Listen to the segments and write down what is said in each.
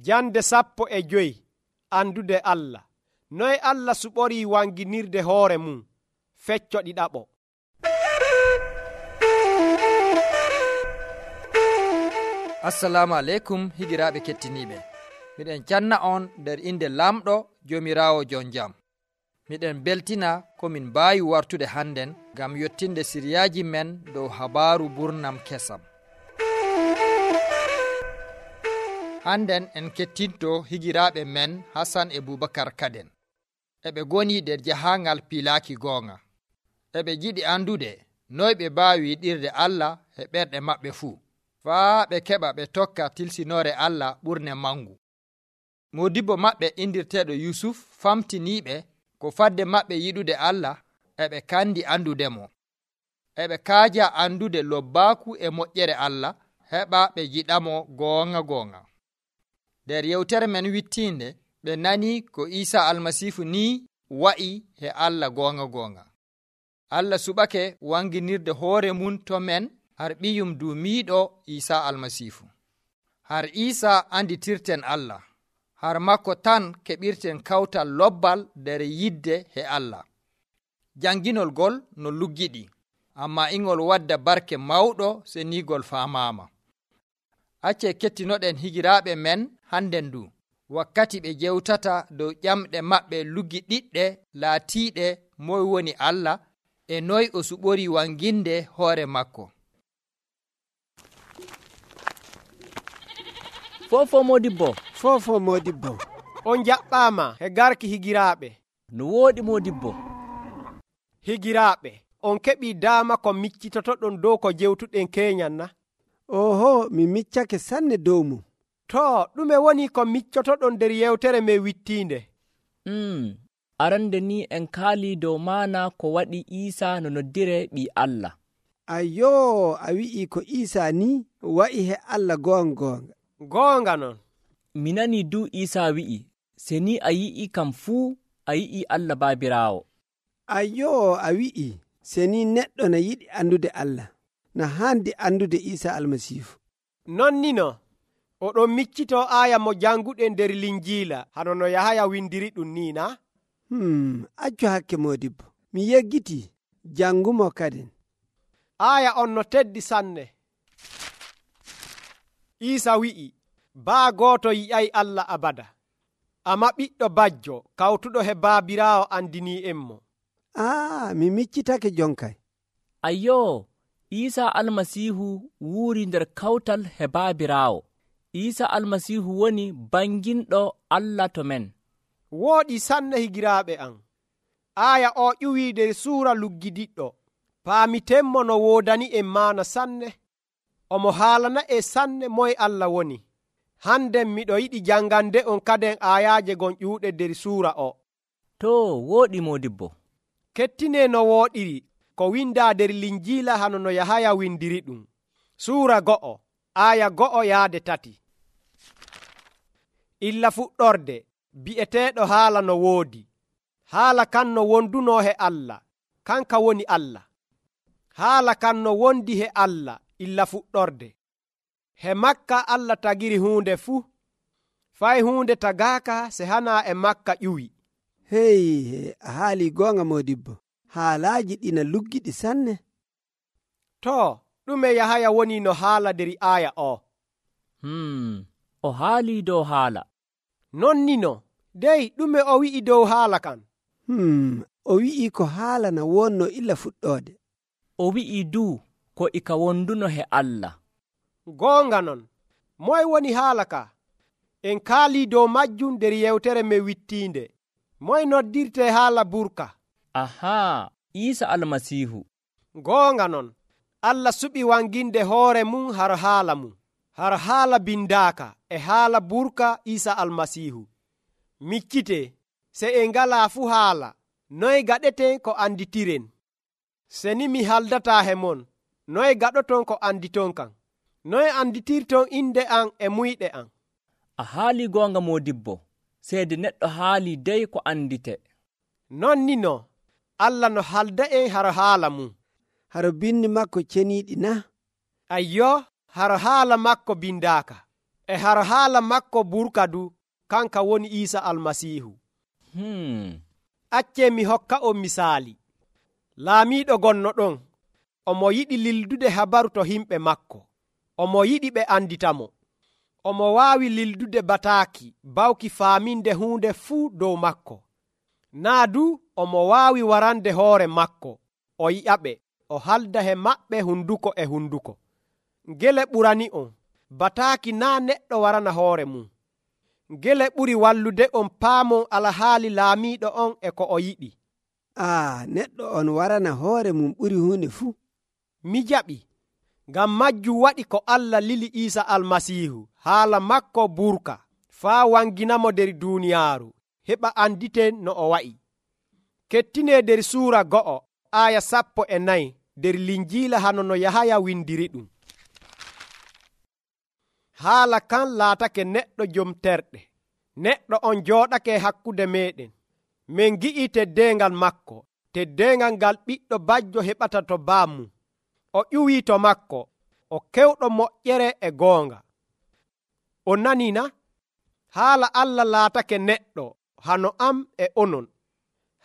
Jande 15 andude Allah. Noye Allah suɓorii wanginirde hoore mum? Fecco ɗiɗaɓo. Assalamu aleykum higiraaɓe kettiniiɓe. Miɗen canna on nder inde lamɗo Joomiraawo jon jam. Miɗen beltina ko min mbaawi wartude hannden ngam yottinde siriyaaji men dow habaaru burnam kesam. Hannden en kettinto higiraaɓe men Hasan e Bubakar Kaden. Eɓe goni nder jahaangal pilaaki goonga. Eɓe jiɗi andude noy ɓe mbaawi yiɗirde Allah e ɓerɗe maɓɓe fuu, faa ɓe keɓa ɓe tokka tilsinoore Allah ɓurne mangu. Modibbo maɓɓe indirteeɗo Yusuf famtiniiɓe ko fadde maɓɓe yiɗude Allah eɓe kandi andudemo. Eɓe kaaja andude lobbaaku e moƴƴere Allah heɓa ɓe jiɗamo goonga. Nder yewtere men wittiinde ɓe nani ko Iisa almasiihu ni wa'i he Allah goonga. Allah suɓake wanginirde hoore mum to men har ɓiyum duumiiɗo Iisa almasiihu. Har Iisa anditirten Allah. Har makko tan keɓirten kawtal lobbal nder yidde he Allah. Janginol gol no luggiɗi, amma ingol wadda barke mawɗo senigol faamaama. Acce kettinoɗen higiraaɓe men hannden du, wakkati ɓe jewtata dow ƴamɗe maɓɓe luggiɗiɗɗe laatiiɗe moy woni Allah e noy o suɓori wanginde hoore makko. Fofo Modibbo. On jaɓɓaama he garki higiraaɓe. No wooɗi Modibbo. Higiraaɓe, on keɓii daama ko miccitotoɗon dow ko jewtuɗen keeñan na? Oho, mi miccake sanne dow mum. To, ɗume woni ko miccotoɗon nder yewtere me wittiinde? Arande ni en kaali dow maana ko waɗi Iisa no noddire ɓii Allah. Ayyo, a wi'i ko Iisa ni wa'i he Allah goonga. Goonga non. Mi nani du Iisa wi'i, se ni a yi'i kam fuu a yi'i Allah Baabiraawo. Ayyo, a wi'i se ni neɗɗo na yiɗi andude Allah, na haandi andude Iisa almasiihu. Non ni no, oɗon miccito aaya mo janguɗen nder Linjiila hano no Yahaya windiri ɗum ni na? Accu hakke Modibbo, mi yeggitii jangumo kadin. Aaya on no teddi sanne. Iisa wi'i, baa gooto yi'ay Allah abada. Amma ɓiɗɗo bajjo kawtuɗo he Baabiraawo andini'enmo. Mi miccitake jonkay. Ayyo, Iisa almasiihu wuuri nder kawtal he Baabiraawo. Iisa almasiihu woni banginɗo Allah to men. Wooɗi sanne higiraaɓe am. Aaya o ƴuwii nder suura luggidiɗɗo. Paamitenmo no woodani en maana sanne. Omo haalana e sanne moye Allah woni. Hannden miɗo yiɗi jangande on kaden aayaaje gon ƴuuɗe nder suura o. To, wooɗi Modibbo. Kettine no wooɗiri ko windaa nder Linjiila hano no Yahaya windiri ɗum. Suura 2, aaya 1-3. Illa fuɗɗorde bi'eteeɗo haala no woodi. Haala kan no wonduno he Allah, kanka woni Allah. Haala kan no wondi he Allah illa fuɗɗorde. He makka Allah tagiri huunde fuu. Fay huunde tagaaka se hana e makka ƴuwi. Hey, a haali goonga Modibbo. Haalaaji ɗina luggiɗi sanne. To, ɗume Yahaya woni no haala nder aaya o? O haali dow haala. Non ni no, dey ɗume o wi'i dow haala kan? O wi'i ko haala na wonno illa fuɗɗoode. O wi'i du ko ika wonduno he Allah. Goonga non, moy woni haala ka? En kaalii dow majjum nder yewtere me wittiinde. Moy noddirte haala burka? Ahaa, Iisa almasiihu. Goonga non, Allah suɓi wanginde hoore mum har haala mum. Har haala bindaaka e haala burka Iisa almasiihu. Miccite, se en ngalaa fu haala, noy gaɗeten ko anditiren? Se ni mi haldataa he mon, noy gaɗoton ko anditon kan? Noy anditirton inde an e muyɗe an? A haali goonga Modibbo, seede neɗɗo haali dey ko andite. Non ni no, Allah no halda en har haala mum. Har bindi makko ceniiɗi na? Ayyo, har haala makko bindaaka. e har haala makko burka du kanka woni Iisa almasiihu. Accee mi hokka on misaali. Laamiiɗo gonno ɗon, omo yiɗi lildude habaru to himɓe makko. Omo yiɗi ɓe anditamo. Omo waawi lildude bataaki bawki faaminde huunde fuu dow makko. Naa du omo waawi warande hoore makko, o yi'aɓe, o halda he maɓɓe hunduko e hunduko. Ngele ɓurani on, bataaki naa neɗɗo warana hoore mum. Ngele ɓuri wallude on paamon alhaali laamiiɗo on e ko o yiɗi. Neɗɗo on warana hoore mum ɓuri huunde fuu. Mi jaɓi, ngam majjum waɗi ko Allah lili Iisa almasiihu haala makko burka faa wanginamo nder duuniyaaru heɓa anditen no o wa'i. Kettinee nder suura 2 aya 14 nder Linjiila hano no Yahaya windiri ɗum. Haala kan laatake neɗɗo jom terɗe. Neɗɗo on jooɗake hakkude meeɗen. Min gi'i teddeengal makko, teddeengal ngal ɓiɗɗo bajjo heɓata to baamum. O ƴuwii to makko, o kewɗo moƴƴere e goonga. On nanii na? Haala Allah laatake neɗɗo hano am e onon.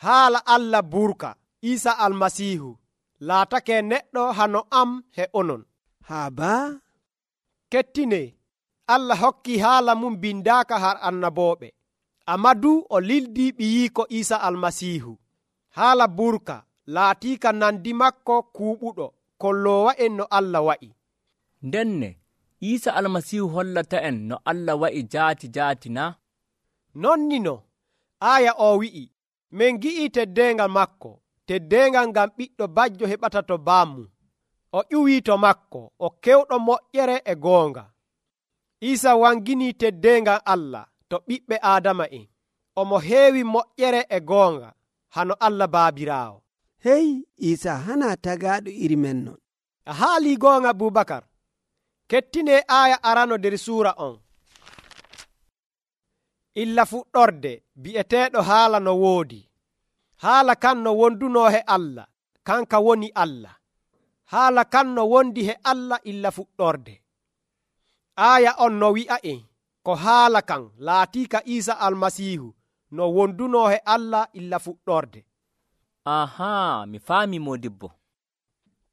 Haala Allah burka Iisa almasiihu laatake neɗɗo hano am he onon. Baa? Kettinee, Allah hokkii haala mum bindaaka har annabooɓe. Ammaa du o lildii ɓiyiiko Iisa almasiihu. Haala burka laatiika nandi makko kuuɓuɗo kolloowa en no Allah wa'i. Ndenne Iisa almasiihu hollata en no Allah wa'i jaati na? Nonnino aaya o wi'i, min gi'ii teddeengal makko, teddeengal ngam ɓiɗɗo bajjo heɓata to baamum. O ƴuwii to makko, o kewɗo moƴƴere e goonga. Iisa wanginii teddeengal Allah to ɓiɓɓe Aadama'en. Omo heewi moƴƴere e goonga hano Allah Baabiraawo. Hey, Iisa hana tagaaɗo iri men non. A haalii goonga Abubakar. Kettinee aaya arano nder suura on. Illa fuɗɗorde bi'eteeɗo haala no woodi. Haala kan no wondunoo he Allah, kanka woni Allah. Haala kan no wondi he Allah illa fuɗɗorde. Aaya on no wi'a'en ko haala kan laatiika Iisa almasiihu no wondunoo he Allah illa fuɗɗorde. Mi faami modibbo.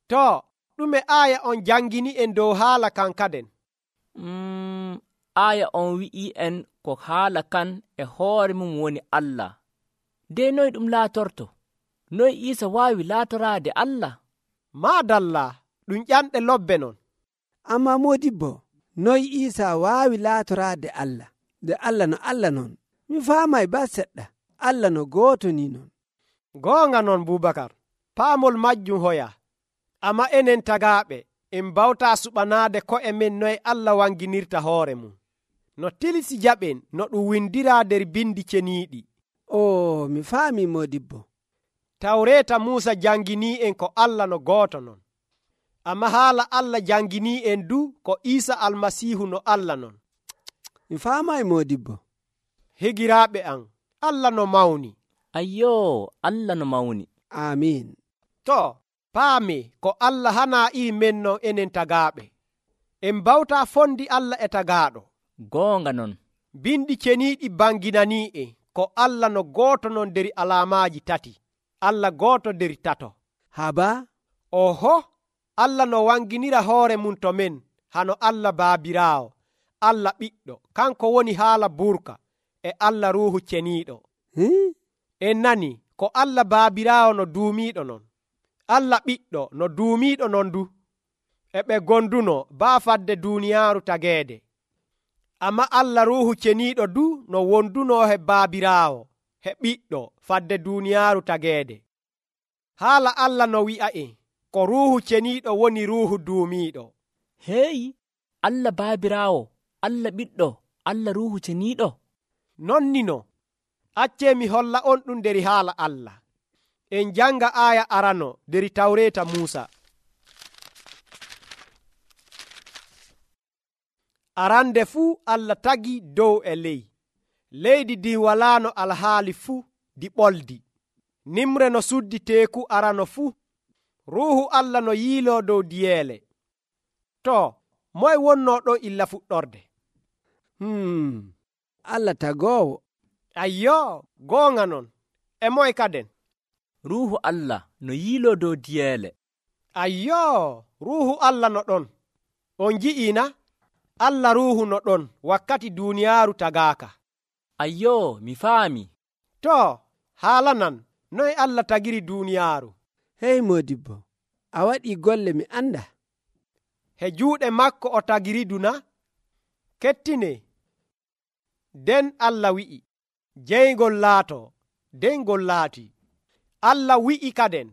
To, ɗume aaya on jangini en dow haala kan kaden? Aaya on wi'i en ko haala kan e hoore mum woni Allah. De noy ɗum laatorto? Noy Iisa waawi laatoraade Allah? Maadalla, ɗum ƴanɗe lobbe non. Amma modibbo, noy Iisa waawi laatoraade Allah? Nde Allah no Allah non. Mi faamay ba seɗɗa. Allah no gooto ni non. Goonga non Bubakar, paamol majjum hoya. Amma enen tagaaɓe, en bawtaa suɓanaade ko'e men noye Allah wanginirta hoore mum. No tilisi jaɓen no ɗum windiraa nder bindi ceniiɗi. Mi faami modibbo. Tawreeta Muusa janginii en ko Allah no gooto non. Amma haala Allah janginii en du ko Iisa almasiihu no Allah non. Mi faamay modibbo. Higiraaɓe am, Allah no mawni. Ayyoo, Allah no mawni. Amiin. To, paami ko Allah hanaa iri men non enen tagaaɓe. En bawtaa fondi Allah e tagaaɗo. Goonga non. Bindi ceniiɗi banginanii en ko Allah no gooto non nder alaamaaji 3. Allah gooto nder 3. Haba? Oho, Allah no wanginira hoore mum to men hano Allah Baabiraawo, Allah Ɓiɗɗo, kanko woni haala burka e Allah Ruuhu Ceniiɗo. En nani ko Allah Baabiraawo no duumiiɗo non. Allah Ɓiɗɗo no duumiiɗo non du. E ɓe gonduno baa fadde duuniyaaru tageede. Amma Allah Ruuhu Ceniiɗo du no wondunoo he Baabiraawo, he Ɓiɗɗo fadde duuniyaaru tageede. Haala Allah no wi'a en ko Ruuhu Ceniiɗo woni Ruuhu duumiiɗo. Heeyi, Allah Baabiraawo, Allah Ɓiɗɗo, Allah Ruuhu Ceniiɗo. Nonnino, accee mi holla on ɗum nder haala Allah. En janga aaya arano nder Tawreeta Muusa. Arande fuu Allah tagi dow e ley. Leydi ndi walaano alhaali fuu di ɓoldi. Nimre no suddi teeku arano fuu. Ruuhu Allah no yiiloo dow diyeele. To, moye wonnoo ɗo illa fuɗɗorde? Allah tagoowo. Ayyoo, goonga non. E moye kaden? ruuhu allah no yiiloo dow diyeele. Ayyoo, ruuhu Allah no ɗon. On ji'iina? Allah ruuhu no ɗon wakkati duuniyaaru tagaaka. Ayyoo, mi faami. To, haala nan, noye Allah tagiri duuniyaaru? Hey moodibbo, a waɗii golle mi anda. He juuɗe makko o tagiridu na? Kettine. Den Allah wi'i, jeyngol laatoo, den ngol laatii. Allah wi'i kaden,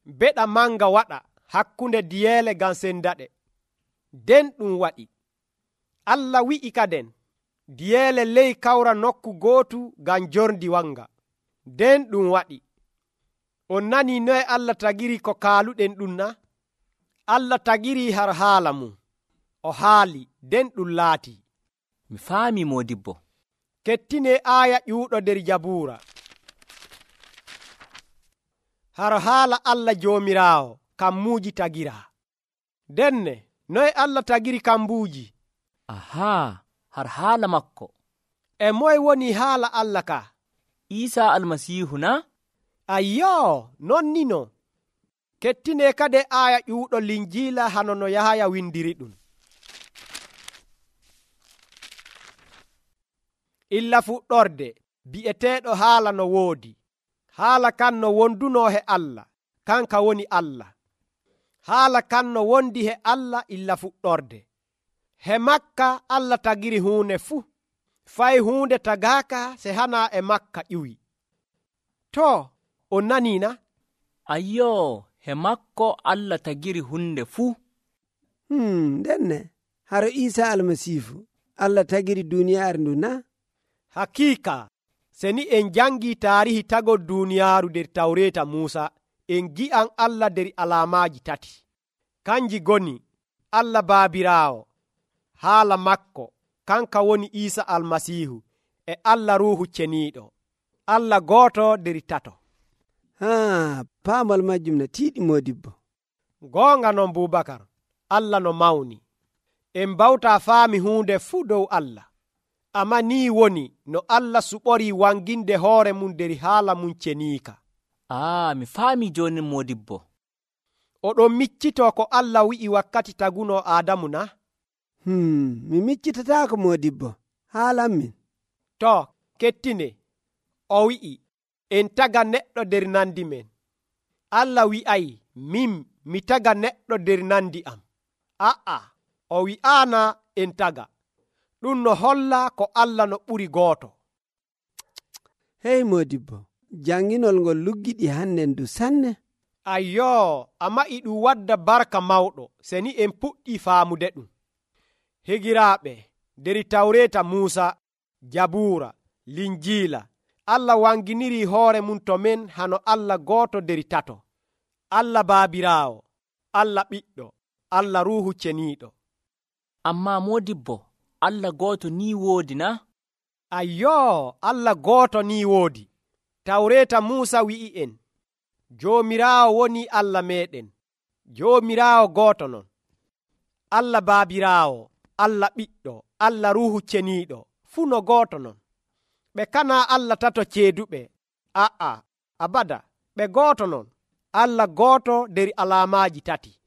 beɗa manga waɗa hakkunde diyeele ngam sendaɗe. Den ɗum waɗi. Allah wi'i kaden, diyeele ley kawra nokku gootu ngam jorndi wanga. Den ɗum waɗi. On nanii noye Allah tagiri ko kaaluɗen ɗum na? Allah tagiri har haala mum. O haali, den ɗum laatii. Mi faami moodibbo. Kettine aaya ƴuuɗo nder Jabuura. Har haala Allah Joomiraawo kammuuji tagiraa. Denne, noye Allah tagiri kambuuji? Ahaa, har haala makko. E moye woni haala Allah ka? Iisaa almasiihu na? Ayyoo, non nino. Kettine kade aaya ƴuuɗo Linjiila hano no Yahaya windiri ɗum. Illa fuɗɗorde bi'eteeɗo haala no woodi. Haala kan no wondunoo he Allah, kanka woni Allah. Haala kan no wondi he Allah illa fuɗɗorde. He makka Allah tagiri huunde fuu. Fay huunde tagaaka se hana e makka ƴiwi. To, on naniina? Ayyoo, he makko Allah tagiri hunde fuu. Denne, haro Iisaa almasiihu, Allah tagiri duuniyaaru ndu na? Hakiika, seni en jangii taarihi tagol duuniyaaru nder Tawreeta Muusa, en gi'an Allah nder alaamaaji tati. Kanji goni, Allah Baabiraawo, haala makko, kanka woni Iisa almasiihu, e Allah Ruuhu Ceniiɗo. Allah gooto nder tato. Paamal majjum no tiiɗi moodibbo. Goonga non Bubakar, Allah no mawni. En mbawtaa faami huunde fuu dow Allah. Amma nii woni no Allah suɓorii wanginde hoore mum nder haala mum ceniika. Mi faami jooni moodibbo. Oɗon miccitoo ko Allah wi'i wakkati tagunoo Aadamu na? Mi miccitataako moodibbo, haalan min. To, kettine, o wi'i, en taga neɗɗo nder nandi men. Allah wi'ay, min mi taga neɗɗo nder nandi am. O wi'aana en taga. Ɗum no holla ko Allah no ɓuri gooto. Hey moodibbo, janginol ngol luggiɗi hannen du sanne. Ayyoo, amma ɗum wadda barka mawɗo seni en puɗɗii faamude ɗum. Higiraaɓe, nder Tawreeta Muusa, Jabuura, Linjiila, Allah wanginirii hoore mum to men hano Allah gooto nder tato. Allah Baabiraawo, Allah Ɓiɗɗo, Allah Ruuhu Ceniiɗo. Ammaa moodibbo, Allah gooto ni woodi na? Ayyoo, Allah gooto ni woodi. Tawreeta Muusa wi'i en, Joomiraawo woni Allah meeɗen. Joomiraawo gooto non. Allah Baabiraawo, Allah Ɓiɗɗo, Allah Ruuhu Ceniiɗo, fuu no gooto non. Ɓe kana Allah tato ceeduɓe. Abada, ɓe gooto non. Allah gooto nder alaamaaji tati.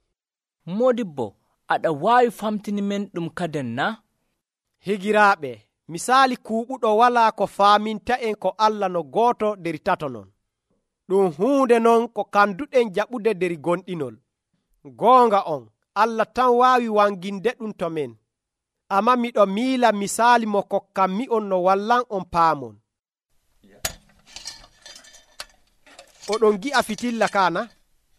Moodibbo, aɗa waawi famtini men ɗum kaden na? Higiraaɓe, misaali kuuɓuɗo walaa ko faaminta en ko Allah no gooto nder tato non. Ɗum huunde non ko kanduɗen jaɓude nder gonɗinol. Goonga on, Allah tan waawi wanginde ɗum to men. Amma miɗo miila misaali mo kokkanmi on no wallan on paamon. Oɗon gi'a fitilla kana?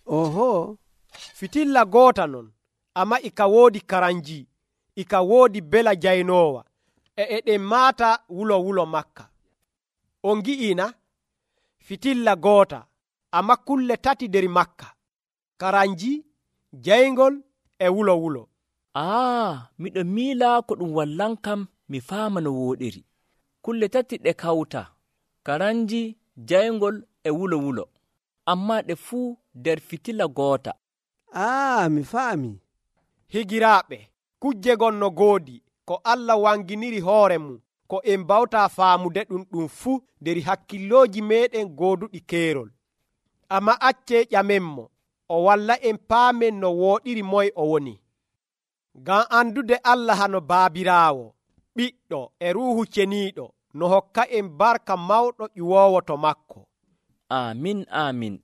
Oho, fitilla goota non, amma ika woodi karanji, ika woodi bela jaynoowa, eɗen maata wulo makka. On gi'ina? Fitilla goota, amma kulle tati nder makka: karanji, jayngol e wulo. Miɗo miila ko ɗum wallan kam mi faama no wooɗiri. Kulle tati ɗe kawta: karanji, jayngol e wulo, amma ɗe fuu nder fitila goota. Mi faami. Higiraaɓe, kujje gon no goodi, ko Allah wanginiri hoore mum ko en bawta faamude ɗum fuu nder hakkillooji meɗen gooduɗi keerol. Amma acce ƴamenmo o walla en paamen no wooɗiri moye o woni. Ngam andude Allah hano Baabiraawo, Ɓiɗɗo e Ruuhu Ceniiɗo no hokka en barka mawɗo ƴuwoowo to makko. Amin, amin.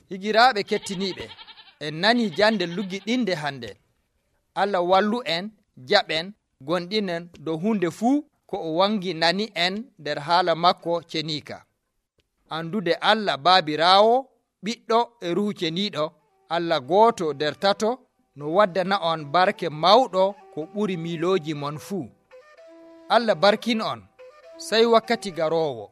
Higiraaɓe kettiniiɓe, en nanii jande luggiɗinde hande. Allah wallu en, jaɓen, gonɗinen dow hunde fuu ko o wangi nani en nder haala makko ceniika. Andude Allah Baabiraawo, Ɓiɗɗo e Ruuhu Ceniiɗo, Allah gooto nder tato, no waddana on barke mawɗo ko ɓuri miilooji mon fuu. Allah barkin on, sey wakkati garoowo.